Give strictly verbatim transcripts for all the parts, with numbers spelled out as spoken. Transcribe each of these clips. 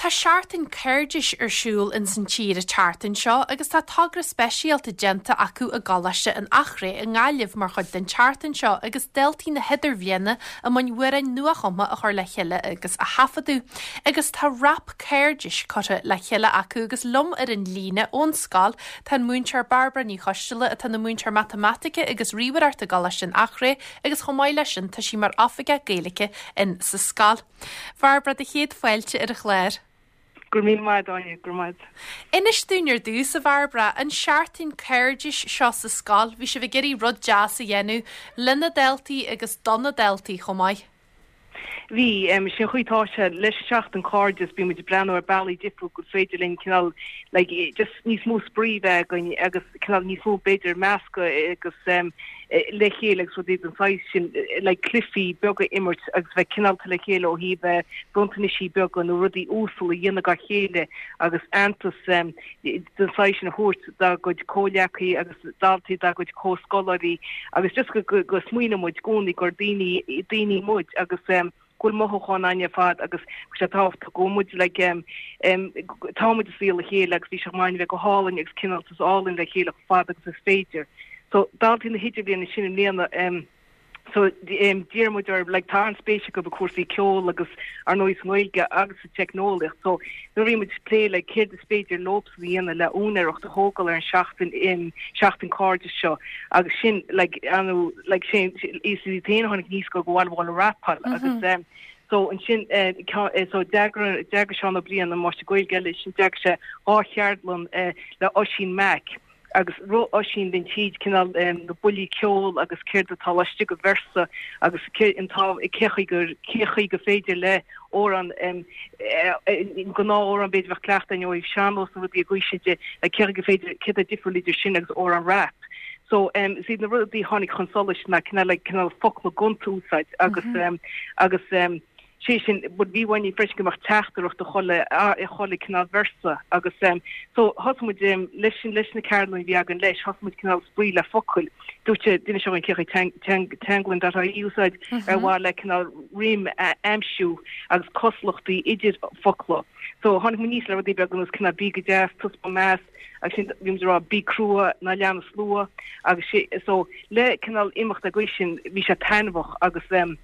Tá Seachtain Cairdis ar siúl in san tír an tseachtain seo agus tá togra speisialta déanta acu i gColáiste an Eachréidh i nGaillimh mar chuid den tseachtain seo agus daltaí na hidirbhliana i mbun amhráin nuachumtha a chur le chéile agus a thaifeadadh. Agus tá rap cairdis curtha le chéile acu agus liom ar an líne ón scoil tá an múinteoir Bairbre Ní Choisteala atá ina múinteoir matamaitice agus ríomhaireachta i gColáiste an Eachréidh agus chomh maith leis sin tá sí mar oifigeach Gaeilge in sa scoil. Bairbre do chéad fáilte ar an chlár. Gur mí maith Áine gur maith. Inis dúinn ar dtús a Bhairbre an seachtain cairdis seo sa scoil, bhí sibh ag iarraidh rud deas a dhéanamh le na daltaí agus do na daltaí chomh maith. Bhí um, sin chuí tá sé leis seachtain cairdis bhí muid breathnú ar bealaí difriúla gur féidir linn cineál like, just níos mó spraoi againn agus cineál níos mó b'fhéidir meascadh agus um, le chéile agus rudaí den saghas sin like, cluichí beaga imirt agus bheith cineálta le chéile ó thaobh bronntanas beaga nó rudaí uasal a dhéanamh dá chéile agus aitheantas um, den saghas sin a thabhairt dá gcuid comhghleacaí agus daltaí dá gcuid comhscoláirí agus just go, go, go smaoineoidh muid i gcónaí gur daoine daoine muid agus um, go bhfuil mothúcháin againn ar fad agus sé tábhachtach go muid le um, um, támuid is le chéile agus bhí sé main bheith go hálainn agus cineál is álainn le chéile fad agus is féidir. So daltaí na hidirbhliana sin i mbliana um, so um, d'iarr muid ar like, tá an-spéis acu i gcúrsaí ceol agus ar ndóigh sa Ghaeilge agus sa teicneolaíocht so nuair bhí muid plé le céard is féidir leosan a dhéanamh le úinéireacht a thógáil ar an seachtain in seachtain cairdis seo agus sin like, anu like, sin is tháinig níos go bhfuil bhfuil rapáil mm -hmm. agus um, so ansin uh, so d'eagraigh d'eagraigh Seán Ó Briain an máistir Gaeilge eile sin d'eagraigh sé dhá cheardlann uh, le Oisín Mac agus ro Oisín den tíd cineál um, na buillí ceol agus céard atá laistigh de véarsa agus an tá cé gur cé go féidir le amhrán um, gnáth-amhrán b'fhéidir bheith cleachta ó sean-nós na rudaí a de le cé go féidir cé difriúil idir sin agus amhrán rap. So um, si na rudaí tháinig chun solais na cineál le cineál focla gonta a úsáid agus mm -hmm. um, agus um, sé sin bud bhí bhaine freisin go mbeadh teachtaireacht a chuile a chuile cineál véarsa agus um, so thosaigh muid um, leis sin leis na ceardlanna bhí againn leis thosaigh muid cineál spraoi le focail dúirt duine seo an ce teanglann dat úsáid ar mhaith le cineál rím a aimsiú agus cosúlachtaí idir focla. So tháinig muid aníos le rudaí beaga agus cineál bí go deas tus meas agus sin bhí rá bí crua ná lean an slua agus sé so le cineál imeacht a sin bhí sé taitneamhach agus um,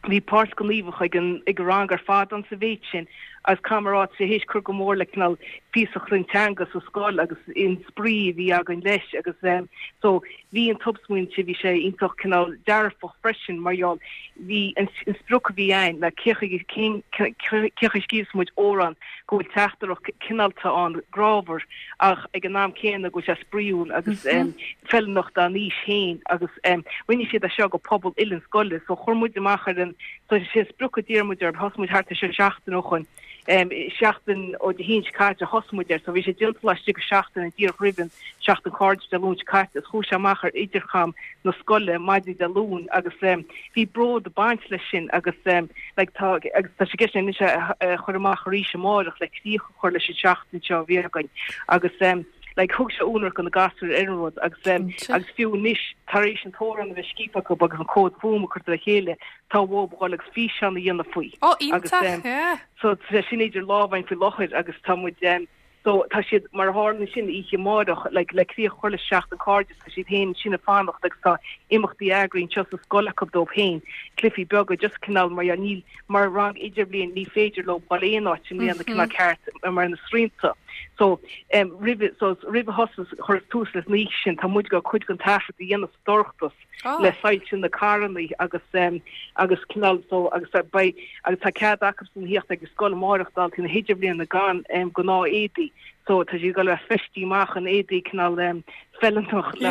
bhí páirt gníomhach ag an ag rang ar fad an sa mhéid sin agus camarát sé héis chur go mór le cineál píosa an teanga sa scoil agus an spraoi bhí againn leis agus um, so bhí an tobsmuointe bhí sé iontach cineál dearfach freisin mar gheall bhí an sprioc bhí ann le cé scríobhas muid amhrán go bhfuil teachtaireacht cineálta an grámhar ach ag an am céanna go sé spraíúil agus mm -hmm. um, feiliúnach don aois féin agus um, rinne siad é seo go pobal uile na scoile so chuir muid amach ar an so sé sprioc a d'iarr muid ar thosaigh muid thart sé seachtain ó shin um, seachtain ó Dé hAoine caite thosaigh muid air so bhí sé déanta laistigh de seachtain an díreach roimh an seachtain cairdis Dé Luain caite is chuaigh sé amach ar intercom na scoile maidin Dé Luain agus um, bhí bród ag baint leis sin agus um, like, tá agus tá sé sin sé uh, chur amach arís amárach le críoch a chur leis an seachtain seo bhí againn agus um, like thug sé únar go na gasúir ar an rud agus um, agus fiú anois tar éis an t-amhrán a bheith scríofa acu agus an comhad fuaime curtha le chéile tá bhil agus físeán a dhéanamh faoi Ó iontach so sin idir lámhain faoi láthair agus tá muid um, so tá siad mar tharla sin oíche amárach le le críoch a chur le seachtain cairdis tá siad féin sin ag fanacht agus tá imeachtaí eagraithe seo sa scoil acu dóibh féin cluichí beaga just cineál mar níl mar rang idirbhliain ní féidir leo dul aon áit sin mm -hmm. ceart mar na srianta. So um, roimh so roimh thosú chur tús leis ní sin tá muid go cuid den taifead a dhéanamh sa dorchadas oh. le soilse na carranna agus um, agus cineál so agus bei agus tá cead acu san theacht agus scoil amárach daltaí na hidirbhliana gan um, gnáth-éadaí so tá siad le feistiú amach an éadaí cineál um, feiliúnach le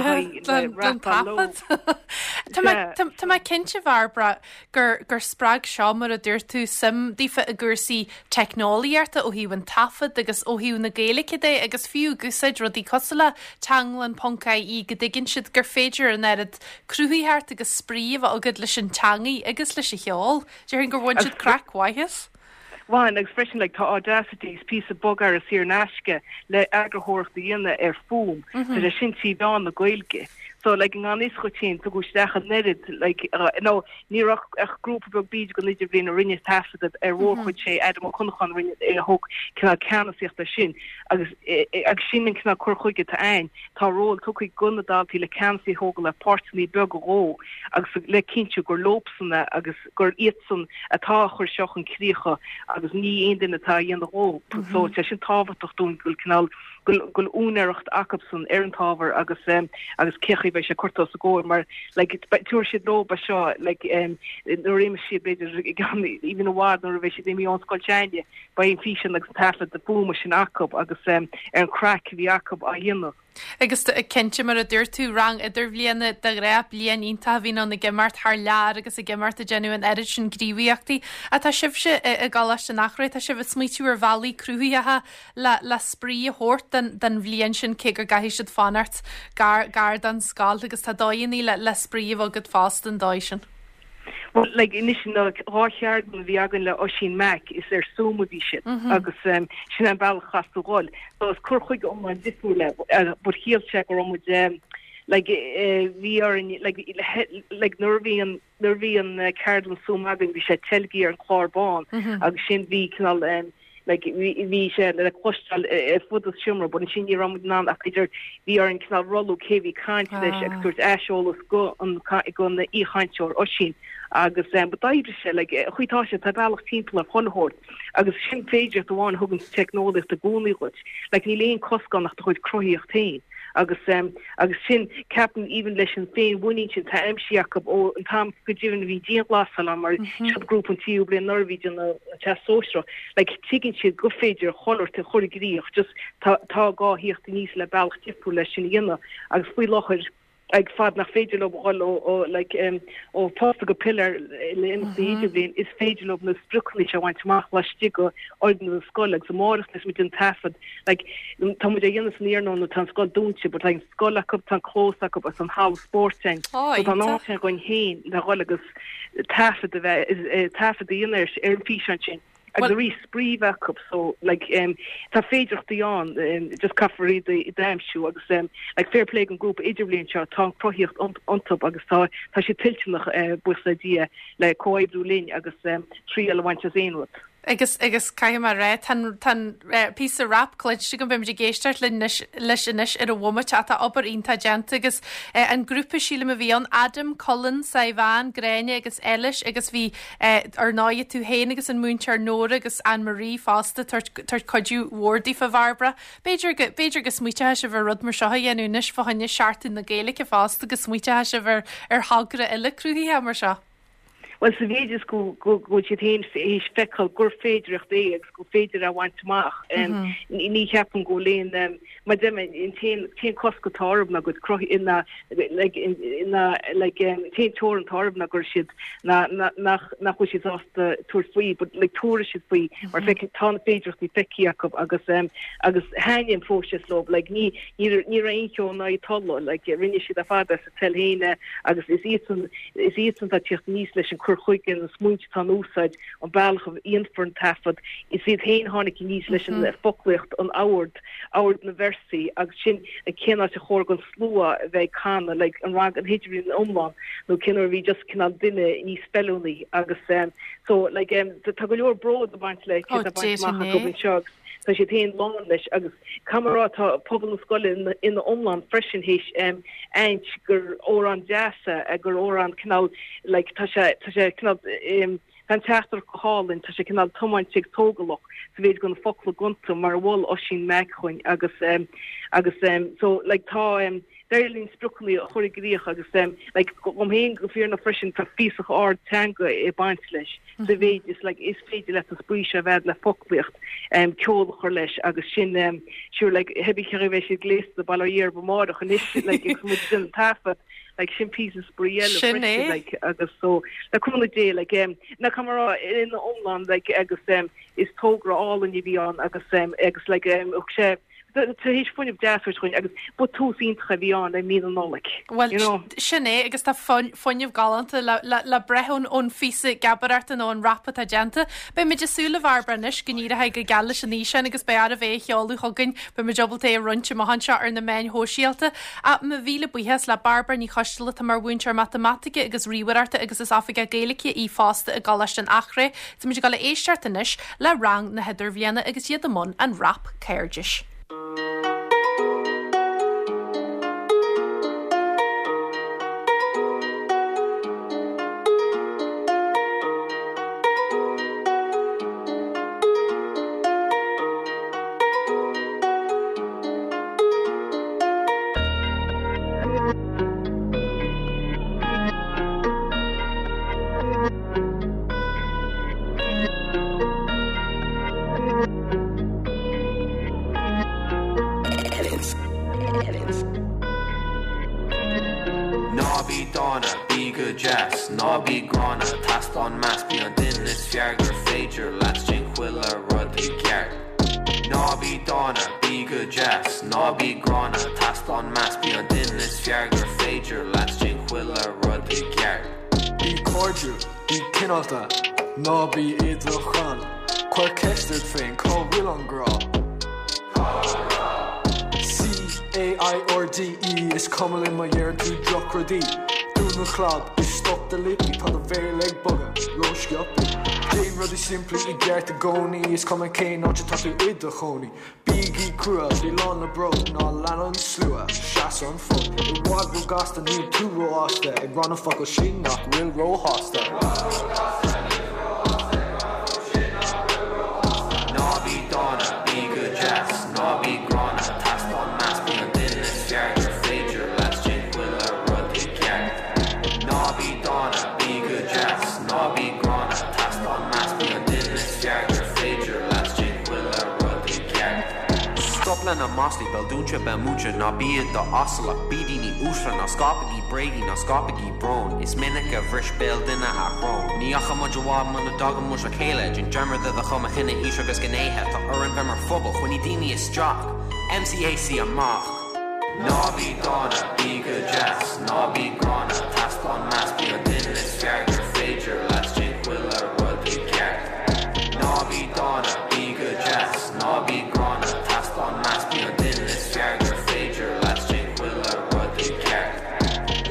Tá mé cinnte Bhairbre gur gur spreag seo mar a dúirt tú suim daofa i gcúrsaí teicneolaíochta ó thaobh an taifead agus ó thaobh na Gaeilge de agus fiú úsáid rudaí cosúil le teanglann ponc ie go dtuigeann siad gur féidir an oiread cruthaitheacht agus spraoi a bheith agat leis an teanga agus leis an cheol. Déarfainn gur bhain siad craic mhaith as? Bhain agus freisin like, tá Audacity is píosa bogearra saor in aisce le eagarthóireacht a dhéanamh ar fuaim mm -hmm. sin trí mheán na Gaeilge. So like an is go sin tugadh isteach an oiread like uh, no ní ach ach grúpa beag b'fhéidir den idirbhliain a rinne taifead ar mhórchuid sé Adam Ó Conacháin rinne é thug cineál ceannasaíocht sin agus agus sin an cineál cur chuige atá ann tá ról tugtha do na daltaí le ceannasaí a thógáil le páirteanna beaga dhó agus le cinntiú gur leobsan agus gur iadsan atá ag cur seo chun críche agus ní aon duine atá á dhéanamh dhóibh so tá sin tábhachtach dúinn go bhfuil cineál go bhfuil úinéireacht acusan ar an t-ábhar agus um, agus cé chaoi bheidh sé curtha os a gcomhair mar like tabharfaidh siad leo é seo like um, nuair a imeoidh siad b'fhéidir gan even i bhfad nuair a bheidh siad imithe ón scoil s'againne beidh an físeán agus an taifead de fuaime sin acu agus um, ar an craic a bhí acu á dhéanamh. Agus cinnte mar a dúirt tú rang idirbhliana de ghnáth bliain iontach a bhíonn ann ag imeacht thar lear agus ag imeacht ag déanamh an oiread sin gníomhaíochtaí. Atá sibhse i gColáiste an Eachréidh tá sibh ag smaoitiú ar bhealaí cruthaitheacha le le spraoi a thabhairt den, den bhliain sin cé gur gcaithfidh siad fanacht gar gar don scoil agus tá dóigheanna le le spraoi a bheith agat fosta an dóigh sin. Well, like anois na dhá cheardlann a bhí againn le Oisín Mac is ar Zoom a bhí siad mm -hmm. agus um, sin an bealach chas tú gáil. So is cur chuige iomlán difriúil uh, but shíl sé go raibh muid um, like uh, bhí orainn like like nuair a bhí an nuair a bhí an uh, ceardlann Zoom againn bhí sé teilgthe ar an chlár bán mm -hmm. agus sin bhí cineál um, like bhí sé le cloisteáil ar fud an seomra, but sin ní raibh ná ach idir bhí orainn cineál rolú cé bhí ag caint leis agus tabhairt aiseolas go an go an aoichainteoir Oisín agus um, but d'oibrigh sé like chuí tá sé tá bealach timpeall ar chuile shórt agus sin féidir amháin thugann teicneolaíocht i gcónaí dhuit like níl aon cosc ann ach do chuid cruthaíocht féin agus um, agus sin ceapaim even leis an féinmhuinín sin tá aimsithe acu ó an t-am go deimhin bhí dianghlasáil mar mm -hmm. siad grúpa an tríú bliain nuair a bhí na teastas sóisearach like tuigeann siad go féidir chuile shórt a chur i gcrích just tá tá gá theacht aníos le bealach difriúil leis sin a dhéanamh agus faoi láthair ag fad nach féidir leo dhul ó ó like um, ó posta go piléar le imeachtaí mm -hmm. bhliain is féidir leo na spriocanna a bhaint amach laistigh de fhoirgneamh na scoile agus amárach is muid an taifead like tá muid á dhéanamh san iarnóin tá an scoil dúnta but like scoil acu tá clós acu agus an halla spóirt ann oh, so tá an áit againn féin le dhul agus taifead a bheith taifead a dhéanamh ar an físeán sin agus arís spraoi acu so like um, tá féidearthachtaí ann um, just caithfear iad a aimsiú agus um, like fair play an grúpa idirbhliain seo tá cruthaíocht iontu agus tá tá sé toilteanach uh, buíochas le Dia le comhoibriú linn agus um, triail a bhaint as aon rud. Agus agus caithfidh mé rá tá píosa rap cluinste go bhfuil ag éisteacht leis anois ar an bhomaite atá obair iontach déanta agus an grúpa sílim a bhí ann Adam, Colin, Saibhán, Gréine agus Eilis agus bhí ar ndóigh tú féin agus an múinteoir Nóra agus Anne-Marie fosta tar cuidiú mhór daofa Bhairbre. B'fhéidir b'fhéidir go smaointeoidh sibh ar rud mar seo a dhéanamh anois fá choinne Seachtain na Gaeilge fosta go smaointeoidh sibh ar ar thogra eile cruthaitheach mar seo. Well sa mhéid is go go siad féin théis feiceáil gur féidireacht é agus gur féidir a bhaint amach ní cheapaim go léon mar dem in t-aon cosc atá orthu ná go cruthaí ina ina like t-aon teorainn atá orthu ná gur siad nach nach bhfuil siad sásta tabhairt faoi, but like tabharfaidh siad faoi mar feic tá na féidireachtaí feicthe acu agus um, agus thaitin an próiseas leo like ní ní ní raibh aon cheo ná tola like rinne siad a fada sa tel héine agus is iad is iad an teacht aníos leis an cur chuige na smaointe atá in úsáid an bealach a dhéanfar an taifead is iad féin tháinig aníos leis an foclaíocht an ord ord na véarsaí agus sin cén áit a chóir don slua a bheith ag canadh like an rang an hidirbhliain iomlán nó cén a bhí just cineál duine níos feiliúnaí agus um, so like um, tá go leor bród ag baint le Oh, go seo tá siad féin lán leis agus camará tá pobal na scoile ina ina iomlán freisin théis um, aint gur amhrán deas é gur amhrán cineál like tá sé tá sé cineál um, Tá teachtar go hálainn tá sé cineál tiomáinte tógálach sa mhéid go na focla gonta mar bhfuil Oisín Mac chugainn agus um, agus um, so like tá um, Deirlín spriocanna a chur i gcrích agus um, like gom héin go fíorna freisin tá feasacht ard teanga ag baint leis sa mhéid is like is féidir leat an spraoi seo bheith le foclaíocht um, ceol a chur leis agus sin um, sure like hebí chu bheith siad gléasta bail ó Dhia orthu amárach anois like agus muid sin taifead like sin píosa spraoi eile Sin é. like agus so le cúnamh Dé like um, na camera in iomlán like agus um, is togra álainn a bhí ann agus um, agus like um, sé tar éis fuinneamh deas a thabhairt dhúinn agus ba tús iontach a bhí ann le mí na Nollag. Bhuel, you know. sin é agus tá fuinneamh galánta le, le, le breith ón, ón phíosa geabaireachta nó an rap atá déanta. Beidh muid ag súil a Bhairbre anois go n-éireoidh go geal leis an fhíseán agus beidh oraibh é a sheoladh chugainn, beidh muid ábalta é a roinnt amach anseo ar na meáin shóisialta. Ach mo mhíle buíochas le Bairbre Ní Choisteala atá mar mhúinteoir matamaitice agus ríomhaireachta agus is oifigeach Gaeilge í fosta i gColáiste an Eachréidh. Tá muid ag dul a éisteacht anois le rang na hidirbhliana agus iad i mbun an rap cairdis. Ná bí dána, bí go deas, ná bí gránna, Taispeáin meas bí an duine is fearr gur féidir leat déan chuile rud i gceart. Ná bí dána, bí go deas, ná bí gránna, Taispeáin meas bí an duine is fearr gur féidir leat déan chuile rud i gceart. Bí cairdiúil, bí cineálta, ná bí i do chrann, Cuir ceist ort féin cá bhfuil an grá. C A I R D E is cuma linn má deireann tú drochrudaí. Dún an chlab is stop do lipí tá do bhéal ag bogadh rósciobtha. Déan rudaí simplí i gceart i gcónaí is cuma cén áit atá tú i do chónaí. Bígí crua, bí lán le bród ná lean an slua, seas an fód. I bhfad róghasta níl tú rófhásta ag rá na focail sin nach bhfuil róshásta. Ná bí dána, bí go deas, ná bí gránna, Taispeáin meas bí an duine is fearr gur féidir leat déan chuile rud i gceart. Ná bí dána, bí go deas, ná bí gránna, Taispeáin meas bí an duine is fearr gur féidir leat déan chuile rud i gceart. Stop le na maslaí béal dúnta béal múinte ná bí i d'asal ach bí daoine uaisle ná scaipigí bréagaí ná scaipigí brón Is minic a bhris béal duine a shrón Ní dheachaigh muid i bhfad muna dtagann muid le chéile Déan dearmad de do chuma chine aois agus gnéithe Tá orainn bheith mar phobal coinnigh daoine isteach M C A C amach. Ná bí dána, bí go deas, ná bí gránna, Taispeáin meas bí an duine is fearr gur féidir leat déan chuile rud i gceart. Ná bí dána, bí go deas, ná bí gránna, Taispeáin meas bí an duine is fearr gur féidir leat déan chuile rud i gceart.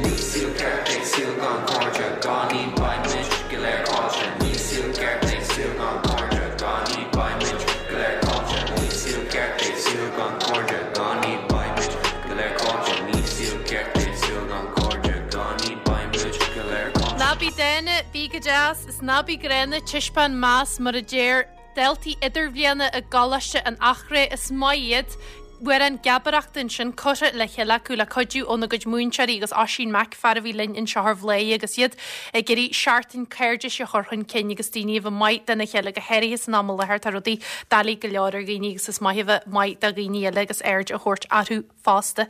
Ní saol ceart é saol gan cairde, gan iad beidh muid go léir caillte. Ní saol ceart é saol gan cairde, gan iad beidh muid go léir caillte. Ní saol ceart é saol gan cairde, gan iad beidh muid go léir caillte. Ní saol ceart é saol gan cairde, gan iad beidh muid go léir caillte. Ná bí dána, bí go deas, is ná bí gránna taispeáin meas mar a deir daltaí idirbhliana i gColáiste an Eachréidh is maith iad. Amhrán geabaireachta ansin curtha le chéile acu le cuidiú óna gcuid múinteoirí agus Oisín Mac fear a bhí linn anseo ar Bhladhaire agus iad ag iarraidh seachtain cairdis a chur chun cinn agus daoine a bheith maith dena chéile go háirithe san am i láthair tá rudaí doiligh go leor ar dhaoine agus is maith a bheith maith do dhaoine eile agus aird a thabhairt orthu fosta.